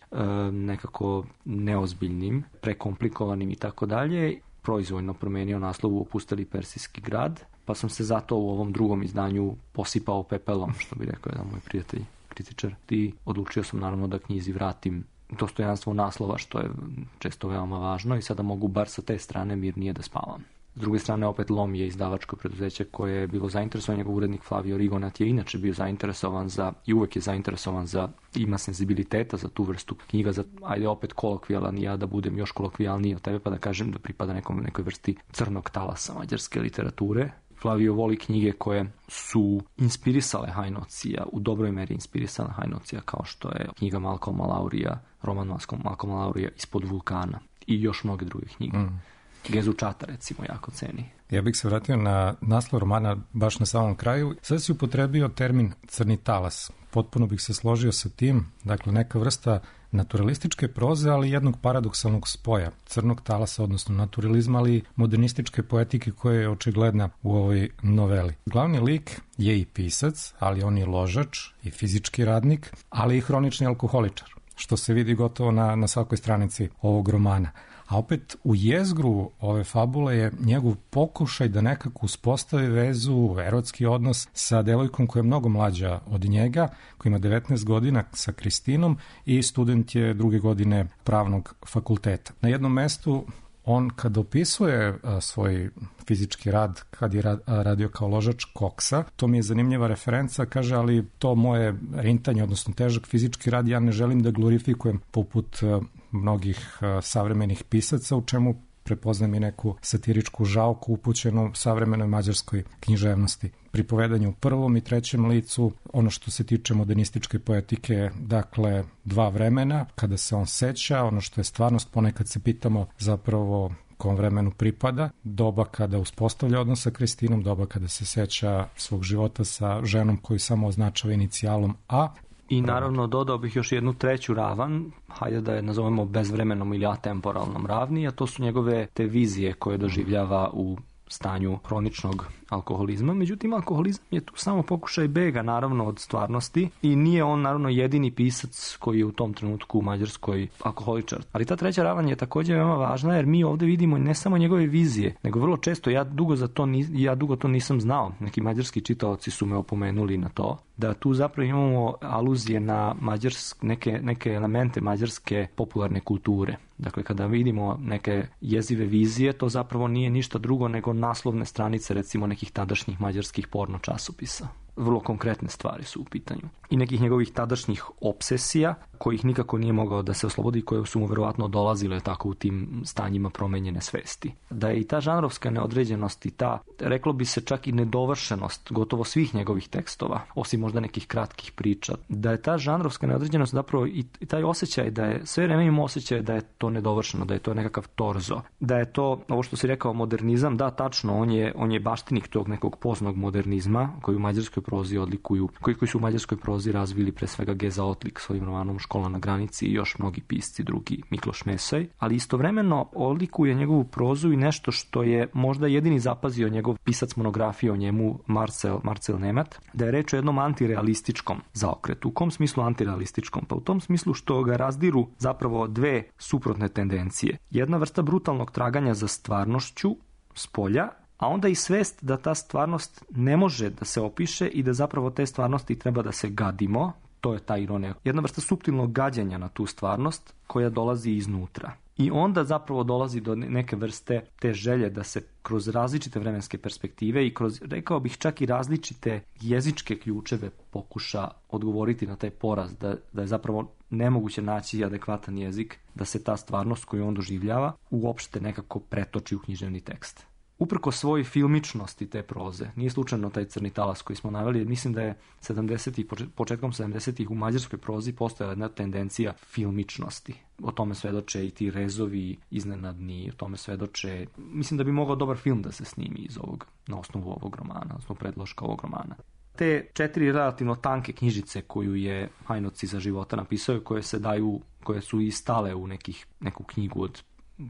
nekako neozbiljnim, prekomplikovanim i tako dalje. Proizvoljno promenio naslov u Opusteli persijski grad, pa sam se zato u ovom drugom izdanju posipao pepelom, što bi rekao jedan moj prijatelj, kritičar. I odlučio sam naravno da knjizi vratim dostojanstvo naslova, što je često veoma važno i sada mogu bar sa te strane mirnije da spavam. S druge strane, opet Lom je izdavačko preduzeće koje je bilo zainteresovan, njegov urednik Flavio Rigonat je inače bio zainteresovan za, i uvek je zainteresovan za, ima senzibiliteta za tu vrstu knjiga, za, ajde opet kolokvijalan, ja da budem još kolokvijalniji od tebe pa da kažem da pripada nekom, nekoj vrsti crnog talasa mađarske literature. Flavio voli knjige koje su inspirisale Hajnocija, u dobroj meri inspirisale Hajnocija, kao što je knjiga Malcolma Laurija, roman Malcolma Laurija Ispod vulkana i još mnoge druge knjige. Mm. Gezu Čata, recimo, jako ceni. Ja bih se vratio na naslov romana baš na samom kraju. Sad si upotrebio termin crni talas. Potpuno bih se složio sa tim. Dakle, neka vrsta naturalističke proze, ali jednog paradoksalnog spoja. Crnog talasa, odnosno naturalizma, ali modernističke poetike koja je očigledna u ovoj noveli. Glavni lik je i pisac, ali on je ložač i fizički radnik, ali i hronični alkoholičar, što se vidi gotovo na, na svakoj stranici ovog romana. A opet u jezgru ove fabule je njegov pokušaj da nekako uspostavi vezu, erotski odnos sa devojkom koja je mnogo mlađa od njega, koja ima devetnaest godina, sa Kristinom i student je druge godine pravnog fakulteta. Na jednom mestu on kad opisuje a, svoj fizički rad, kad je rad, a, radio kao ložač koksa, to mi je zanimljiva referenca, kaže, ali to moje rintanje, odnosno težak fizički rad, ja ne želim da glorifikujem poput a, mnogih a, savremenih pisaca, u čemu prepoznam i neku satiričku žalku upućenu savremenoj mađarskoj književnosti. Pri povedanju u prvom i trećem licu, ono što se tiče modernističke poetike, dakle, dva vremena, kada se on seća, ono što je stvarnost, ponekad se pitamo zapravo kom vremenu pripada, doba kada uspostavlja odnos sa Kristinom, doba kada se seća svog života sa ženom koju samo označava inicijalom A. I naravno dodao bih još jednu treću ravan, hajde da je nazovemo bezvremenom ili atemporalnom ravni, a to su njegove te vizije koje doživljava u stanju hroničnog alkoholizma. Međutim, alkoholizam je tu samo pokušaj bega, naravno, od stvarnosti i nije on, naravno, jedini pisac koji je u tom trenutku u Mađarskoj alkoholičar. Ali ta treća ravan je također veoma važna, jer mi ovdje vidimo ne samo njegove vizije, nego vrlo često, ja dugo, za to, ni, ja dugo to nisam znao, neki mađarski čitaoci su me opomenuli na to, da tu zapravo imamo aluzije na mađarsk, neke, neke elemente mađarske popularne kulture. Dakle, kada vidimo neke jezive vizije, to zapravo nije ništa drugo nego naslovne stranice, recimo, nekih tadašnjih mađarskih porno časopisa. Vrlo konkretne stvari su u pitanju. I nekih njegovih tadašnjih obsesija, kojih nikako nije mogao da se oslobodi, koje su mu verovatno dolazile tako u tim stanjima promenjene svesti. Da je i ta žanrovska neodređenost i ta, reklo bi se, čak i nedovršenost gotovo svih njegovih tekstova, osim možda nekih kratkih priča, da je ta žanrovska neodređenost zapravo i taj osjećaj da je, sve vreme imamo osjećaj da je to nedovršeno, da je to nekakav torzo, da je to, ovo što si rekao, modernizam, da, tačno, on je, on je baštinik tog nekog poznog modernizma, koji u Mađarskoj prozi odlikuju, koji, koji su u mađarskoj prozi razvili pre svega Geza Otlik svojim romanom Škola na granici i još mnogi pisci drugi, Mikloš Mesoj, ali istovremeno odlikuje njegovu prozu i nešto što je možda jedini zapazio njegov pisac monografije o njemu Marcel, Marcel Nemat, da je reč o jednom antirealističkom zaokretu. U kom smislu antirealističkom? Pa u tom smislu što ga razdiru zapravo dve suprotne tendencije. Jedna vrsta brutalnog traganja za stvarnošću s polja, a onda i svest da ta stvarnost ne može da se opiše i da zapravo te stvarnosti treba da se gadimo. To je ta ironija. Jedna vrsta suptilnog gađanja na tu stvarnost koja dolazi iznutra. I onda zapravo dolazi do neke vrste te želje da se kroz različite vremenske perspektive i kroz, rekao bih, čak i različite jezičke ključeve pokuša odgovoriti na taj poraz, da, da je zapravo nemoguće naći adekvatan jezik, da se ta stvarnost koju on doživljava uopšte nekako pretoči u književni tekst. Uprko svojoj filmičnosti te proze, nije slučajno taj Crni talas koji smo naveli, mislim da je sedamdesetih, početkom sedamdesetih u mađarskoj prozi postojala jedna tendencija filmičnosti. O tome svedoče i ti rezovi iznenadni, o tome svedoče, mislim da bi mogao dobar film da se snimi iz ovog, na osnovu ovog romana, na osnovu predloška ovog romana. Te četiri relativno tanke knjižice koju je Hajnoci za života napisao, koje se daju, koje su i stale u nekih, neku knjigu od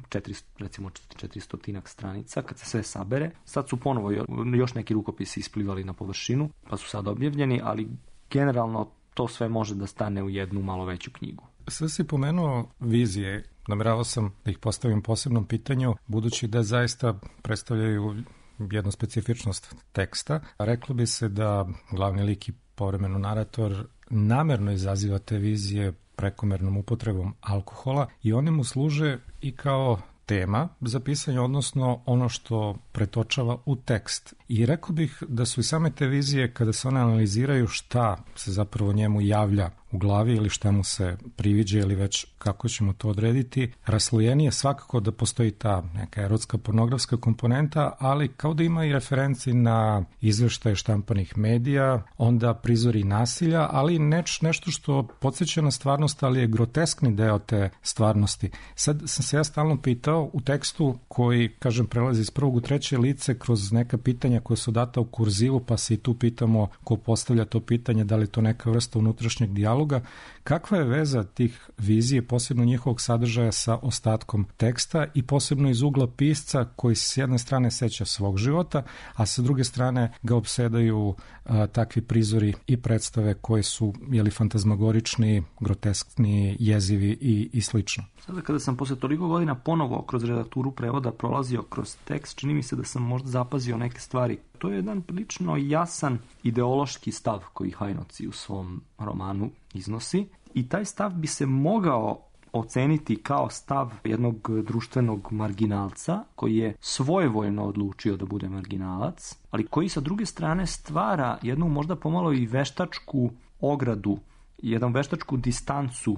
četiristo, recimo četiristotinak stranica, kad se sve sabere. Sad su ponovo još neki rukopisi isplivali na površinu, pa su sad objavljeni, ali generalno to sve može da stane u jednu malo veću knjigu. Sve si pomenuo vizije. Nameravao sam da ih postavim posebnom pitanju, budući da zaista predstavljaju jednu specifičnost teksta. Reklo bi se da glavni lik i povremeno narator namerno izaziva te vizije prekomernom upotrebom alkohola i one mu služe i kao tema za pisanje, odnosno ono što pretočava u tekst. I rekao bih da su i same te vizije, kada se one analiziraju šta se zapravo njemu javlja u glavi ili šta mu se priviđa ili već kako ćemo to odrediti, raslojenije svakako da postoji ta neka erotska pornografska komponenta, ali kao da ima i referenci na izveštaje štampanih medija, onda prizori nasilja, ali neč, nešto što podsjeća na stvarnost, ali je groteskni deo te stvarnosti. Sad sam se ja stalno pitao u tekstu koji, kažem, prelazi iz prvog u treće lice kroz neka pitanja koja su data u kurzivu, pa se i tu pitamo ko postavlja to pitanje, da li je to neka vrsta unutrašnjeg dijaloga. Kakva je veza tih vizije, posebno njihovog sadržaja sa ostatkom teksta i posebno iz ugla pisca koji se s jedne strane seća svog života, a sa druge strane ga opsedaju a, takvi prizori i predstave koji su jeli, fantazmagorični, groteskni, jezivi i, i slično. Sada kada sam posle toliko godina ponovo kroz redakturu prevoda prolazio kroz tekst, čini mi se da sam možda zapazio neke stvari. To je jedan prilično jasan ideološki stav koji Hajnoci u svom romanu iznosi i taj stav bi se mogao oceniti kao stav jednog društvenog marginalca koji je svojevoljno odlučio da bude marginalac, ali koji sa druge strane stvara jednu možda pomalo i veštačku ogradu, jednu veštačku distancu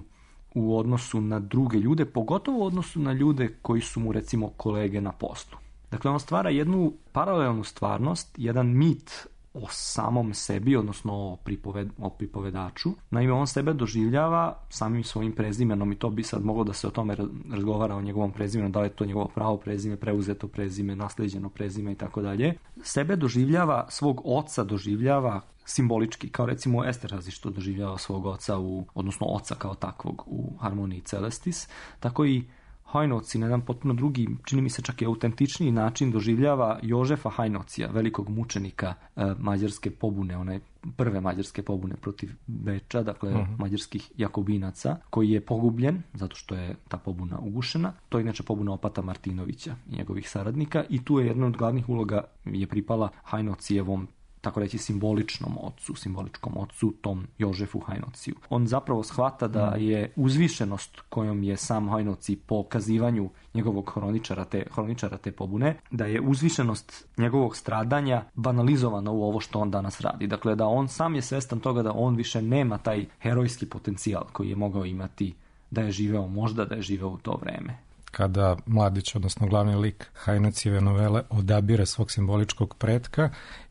u odnosu na druge ljude, pogotovo u odnosu na ljude koji su mu recimo kolege na poslu. Dakle, on stvara jednu paralelnu stvarnost, jedan mit o samom sebi, odnosno o, pripoved, o pripovedaču. Naime, on sebe doživljava samim svojim prezimenom i to bi sad moglo da se o tome razgovara o njegovom prezimenu, da li je to njegovo pravo prezime, preuzeto prezime, nasleđeno prezime i tako dalje. Sebe doživljava, svog oca doživljava simbolički, kao recimo Esterhazy što doživljava svog oca, u, odnosno oca kao takvog u Harmoniji Celestis, tako i Hajnoci na jedan potpuno drugi, čini mi se čak i autentičniji način doživljava Jožefa Hajnocija, velikog mučenika e, mađarske pobune, one prve mađarske pobune protiv Beča, dakle uh-huh. mađarskih jakobinaca, koji je pogubljen zato što je ta pobuna ugušena. To je inače pobuna opata Martinovića i njegovih saradnika i tu je jedna od glavnih uloga je pripala Hajnocijevom, tako reći, simboličnom ocu, simboličkom ocu, tom Jožefu Hajnociju. On zapravo shvata da je uzvišenost kojom je sam Hajnoci po kazivanju njegovog hroničara te, hroničara te pobune, da je uzvišenost njegovog stradanja banalizovana u ovo što on danas radi. Dakle, da on sam je svestan toga da on više nema taj herojski potencijal koji je mogao imati da je živeo, možda da je živeo u to vreme. Kada mladić, odnosno glavni lik Hajnocijeve novele odabire svog simboličkog pretka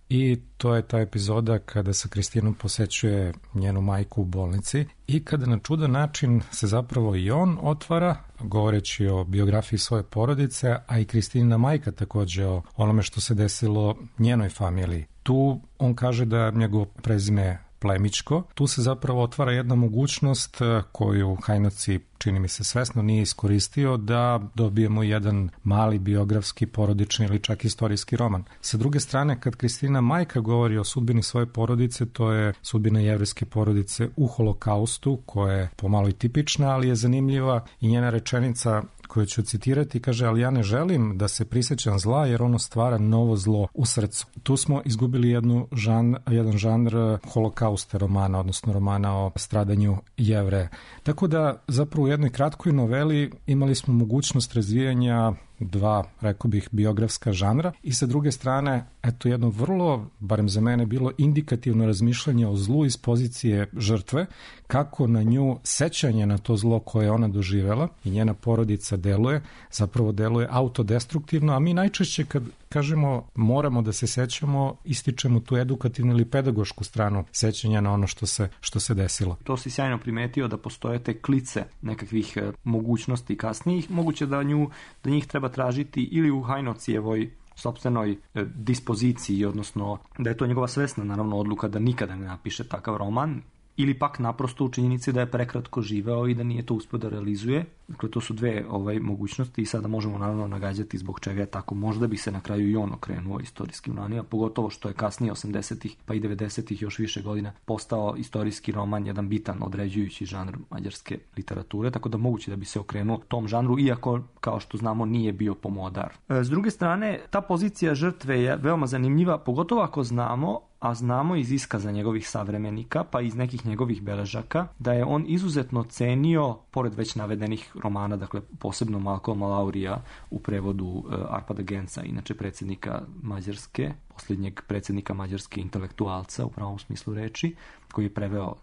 i to je ta epizoda kada sa Kristinom posećuje njenu majku u bolnici i kada na čudan način se zapravo i on otvara, govoreći o biografiji svoje porodice, a i Kristinina majka takođe o onome što se desilo njenoj familiji. Tu on kaže da njegovo prezime plemićko. Tu se zapravo otvara jedna mogućnost koju Hajnoci, čini mi se svesno, nije iskoristio, da dobijemo jedan mali biografski, porodični ili čak istorijski roman. Sa druge strane, kad Kristina majka govori o sudbini svoje porodice, to je sudbina jevrejske porodice u holokaustu, koja je pomalo i tipična, ali je zanimljiva i njena rečenica koju ću citirati, kaže: ali ja ne želim da se prisjećam zla jer ono stvara novo zlo u srcu. Tu smo izgubili jednu žan, jedan žanr holokausta romana, odnosno romana o stradanju Jevreja. Tako da zapravo u jednoj kratkoj noveli imali smo mogućnost razvijanja dva, rekao bih, biografska žanra i sa druge strane, eto jedno vrlo, barem za mene, bilo indikativno razmišljanje o zlu iz pozicije žrtve, kako na nju sećanje na to zlo koje ona doživela i njena porodica deluje, zapravo deluje autodestruktivno, a mi najčešće kad kažemo moramo da se sećamo, ističemo tu edukativnu ili pedagošku stranu sećanja na ono što se, što se desilo. To si sjajno primetio da postoje te klice nekakvih mogućnosti kasnijih, moguće da, nju, da njih treba tražiti ili u Hajnocijevoj sopstvenoj dispoziciji, odnosno da je to njegova svesna naravno odluka da nikada ne napiše takav roman, ili pak naprosto u činjenici da je prekratko živeo i da nije to uspio da realizuje. Dakle, to su dve ovaj, mogućnosti i sada možemo naravno nagađati zbog čega je tako. Možda bi se na kraju i on okrenuo istorijskim romanima, pogotovo što je kasnije osamdesetih pa i devedesetih još više godina postao istorijski roman jedan bitan određujući žanr mađarske literature, tako da moguće da bi se okrenuo tom žanru, iako, kao što znamo, nije bio pomodar. S druge strane, ta pozicija žrtve je veoma zanimljiva, pogotovo ako znamo, a znamo iz iskaza njegovih savremenika, pa iz nekih njegovih beležaka, da je on izuzetno cenio, pored već navedenih romana, dakle posebno Malcolma Laurija u prevodu Arpada Genca, inače predsjednika Mađarske, posljednjeg predsjednika mađarske intelektualca u pravom smislu reči, koji je preveo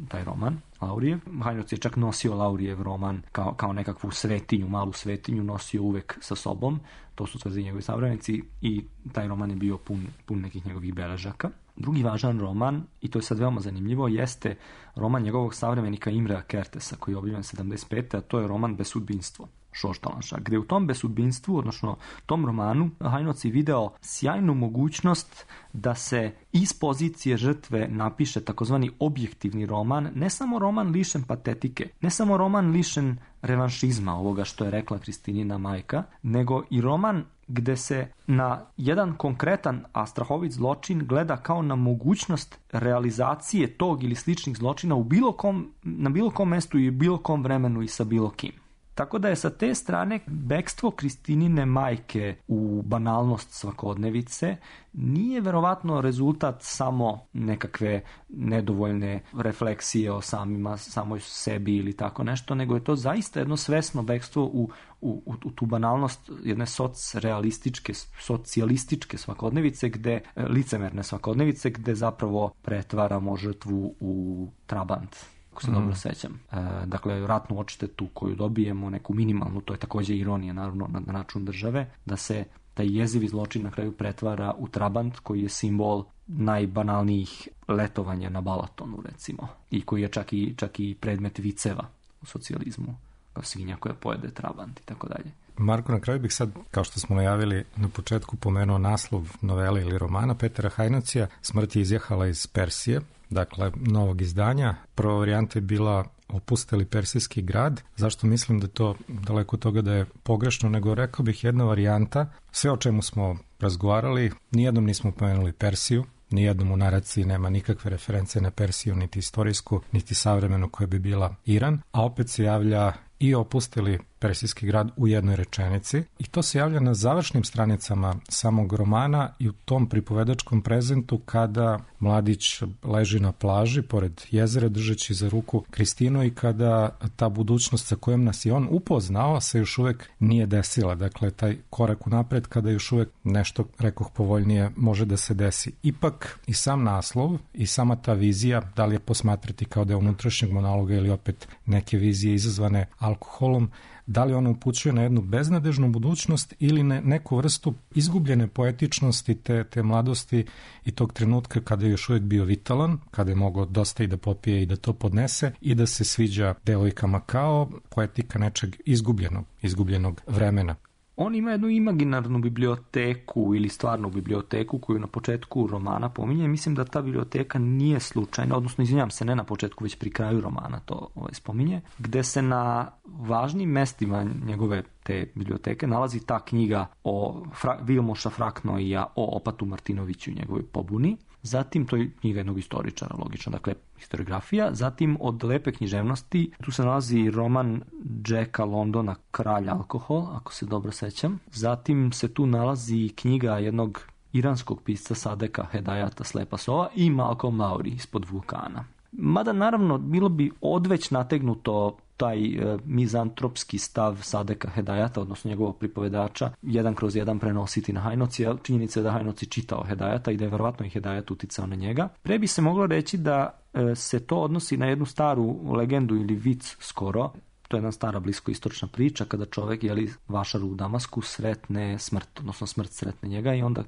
taj roman, Laurijev. Hajnoc je čak nosio Laurijev roman kao, kao nekakvu svetinju, malu svetinju, nosio uvek sa sobom, to su tvrdi njegovi savremenici, i taj roman je bio pun, pun nekih njegovih beležaka. Drugi važan roman, i to je sad veoma zanimljivo, jeste roman njegovog savremenika Imrea Kertesa, koji je objavljen sedamdeset pete. a to je roman Besudbinstvo Šoštalanša, gde u tom besudbinstvu, odnosno tom romanu, Hajnoc je video sjajnu mogućnost da se iz pozicije žrtve napiše takozvani objektivni roman, ne samo roman lišen patetike, ne samo roman lišen revanšizma, ovoga što je rekla Kristinina majka, nego i roman gde se na jedan konkretan, a strahovit zločin gleda kao na mogućnost realizacije tog ili sličnih zločina u bilo kom, na bilo kom mestu i u bilo kom vremenu i sa bilo kim. Tako da je sa te strane bekstvo Kristinine majke u banalnost svakodnevice nije verovatno rezultat samo nekakve nedovoljne refleksije o samima, samoj sebi ili tako nešto, nego je to zaista jedno svesno bekstvo u, u, u tu banalnost jedne socrealističke, socijalističke svakodnevice, gde, licemerne svakodnevice, gde zapravo pretvaramo žrtvu u trabant, ako se mm. dobro sećam. E, dakle, ratnu odštetu koju dobijemo, neku minimalnu, to je takođe ironija, naravno, na, na račun države, da se taj jezivi zločin na kraju pretvara u trabant koji je simbol najbanalnijih letovanja na Balatonu, recimo, i koji je čak i, čak i predmet viceva u socijalizmu, kao svinja koja pojede trabant i tako dalje. Marko, na kraju bih sad, kao što smo najavili na početku, pomenuo naslov novele ili romana Petera Hajnocija, Smrt je izjahala iz Persije, dakle, novog izdanja. Prva varijanta je bila Opusteli persijski grad. Zašto mislim da to daleko od toga da je pogrešno, nego rekao bih jedna varijanta. Sve o čemu smo razgovarali, nijednom nismo pomenuli Persiju, nijednom u naraciji nema nikakve reference na Persiju, niti istorijsku, niti savremenu koja bi bila Iran, a opet se javlja i Opusteli persijski grad u jednoj rečenici, i to se javlja na završnim stranicama samog romana i u tom pripovedačkom prezentu kada mladić leži na plaži pored jezera držeći za ruku Kristinu i kada ta budućnost sa kojom nas je on upoznao se još uvek nije desila. Dakle, taj korak unapred kada još uvek nešto, rekoh, povoljnije može da se desi. Ipak i sam naslov i sama ta vizija, da li je posmatrati kao deo unutrašnjeg monologa ili opet neke vizije izazvane alkoholom, Da li ona upućuje na jednu beznadežnu budućnost ili ne, neku vrstu izgubljene poetičnosti te, te mladosti i tog trenutka kada je još uvijek bio vitalan, kada je mogao dosta i da popije i da to podnese i da se sviđa devojkama kao poetika nečeg izgubljenog, izgubljenog vremena. On ima jednu imaginarnu biblioteku ili stvarnu biblioteku koju na početku romana pominje. Mislim da ta biblioteka nije slučajna, odnosno izvinjam se, ne na početku, već pri kraju romana to ovaj, spominje, gde se na važnim mestima njegove te biblioteke nalazi ta knjiga o Fra- Vilmoša Fraknoija o Opatu Martinoviću i njegovoj pobuni. Zatim, to je knjiga jednog istoričara, logično, dakle, historiografija. Zatim, od lepe književnosti, tu se nalazi roman Jacka Londona Kralj alkohol, ako se dobro sećam. Zatim se tu nalazi knjiga jednog iranskog pisca Sadeka Hedajata Slepa sova i Malcolm Lowry Ispod vulkana. Mada, naravno, bilo bi odveć nategnuto taj e, mizantropski stav Sadeka Hedajata, odnosno njegovog pripovedača, jedan kroz jedan prenositi na Hajnoci, a činjenica je da Hajnoci čitao Hedajata i da je verovatno i Hedajat uticao na njega. Pre bi se moglo reći da e, se to odnosi na jednu staru legendu ili vic skoro. To je jedna stara bliskoistočna priča kada čovek, jeli, vašar u Damasku, sretne smrt, odnosno smrt sretne njega i onda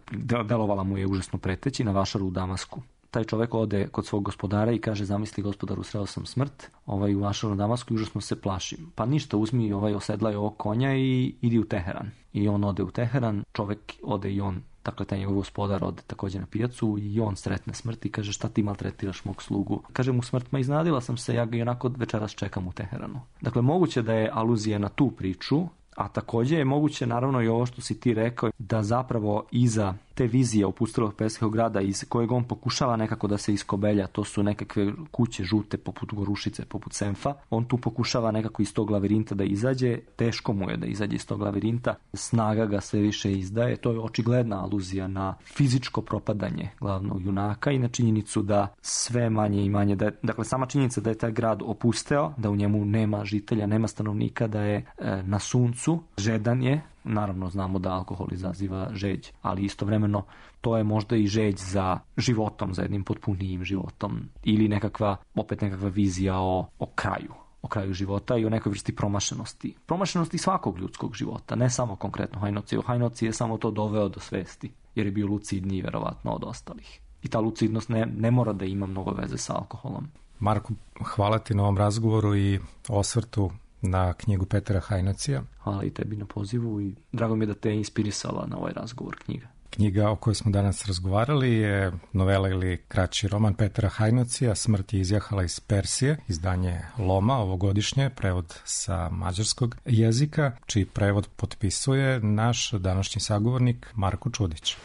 delovala mu je užasno preteći na vašaru u Damasku. Taj čovjek ode kod svog gospodara i kaže, zamisli gospodaru, sreo sam smrt, ovaj, u vašaru na Damasku i užasno se plašim. Pa ništa, uzmi ovaj, osedlaj ovog konja i idi u Teheran. I on ode u Teheran, čovjek ode i on, dakle taj njegov gospodar ode također na pijacu i on sretne smrt i kaže, šta ti maltretiraš mog slugu? Kaže mu smrt, ma iznadila sam se, ja ga i onako večeras čekam u Teheranu. Dakle, moguće da je aluzija na tu priču, a također je moguće, naravno, i ovo što si ti rekao, da zapravo iza te vizije opustelog perskog grada iz kojeg on pokušava nekako da se iskobelja, to su nekakve kuće žute poput Gorušice, poput Senfa, on tu pokušava nekako iz tog lavirinta da izađe, teško mu je da izađe iz tog lavirinta, snaga ga sve više izdaje, to je očigledna aluzija na fizičko propadanje glavnog junaka i na činjenicu da sve manje i manje, da je, dakle sama činjenica da je taj grad opusteo, da u njemu nema žitelja, nema stanovnika, da je e, na suncu, žedan je. Naravno, znamo da alkohol izaziva žeđ, ali istovremeno to je možda i žeđ za životom, za jednim potpunijim životom ili nekakva, opet nekakva vizija o, o kraju, o kraju života i o nekoj vrsti promašenosti. Promašenosti svakog ljudskog života, ne samo konkretno Hajnoci. Hajnoci je samo to doveo do svesti, jer je bio lucidniji verovatno od ostalih. I ta lucidnost ne, ne mora da ima mnogo veze sa alkoholom. Marko, hvala ti na ovom razgovoru i osvrtu na knjigu Petra Hajnocija. Hvala i tebi na pozivu i drago mi je da te je inspirisala na ovaj razgovor knjiga. Knjiga o kojoj smo danas razgovarali je novela ili kraći roman Petra Hajnocija, Smrt je izjahala iz Persije, izdanje Loma, ovogodišnje, prevod sa mađarskog jezika, čiji prevod potpisuje naš današnji sagovornik Marko Čudić.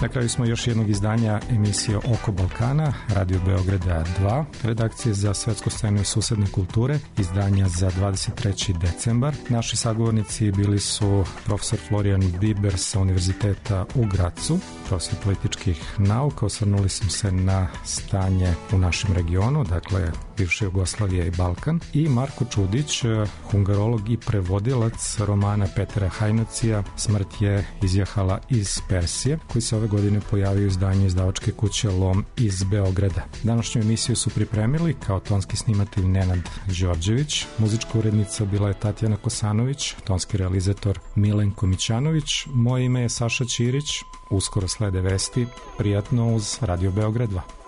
Na kraju smo još jednog izdanja emisije Oko Balkana, Radio Beograda dva, redakcije za svetsku scenu i susedne kulture, izdanja za dvadeset treći decembar. Naši sagovornici bili su profesor Florijan Biber sa Univerziteta u Gracu, profesor političkih nauka, osvrnuli smo se na stanje u našem regionu, dakle bivše Jugoslavije i Balkan, i Marko Čudić, hungarolog i prevodilac romana Petera Hajnacija Smrt je izjahala iz Persije, koji se ove godine pojavio u izdanju izdavačke kuće Lom iz Beograda. Današnju emisiju su pripremili kao tonski snimatelj Nenad Đorđević, muzička urednica bila je Tatjana Kosanović, tonski realizator Milenko Mićanović, moje ime je Saša Ćirić, uskoro slede vesti, prijatno uz Radio Beograd dva.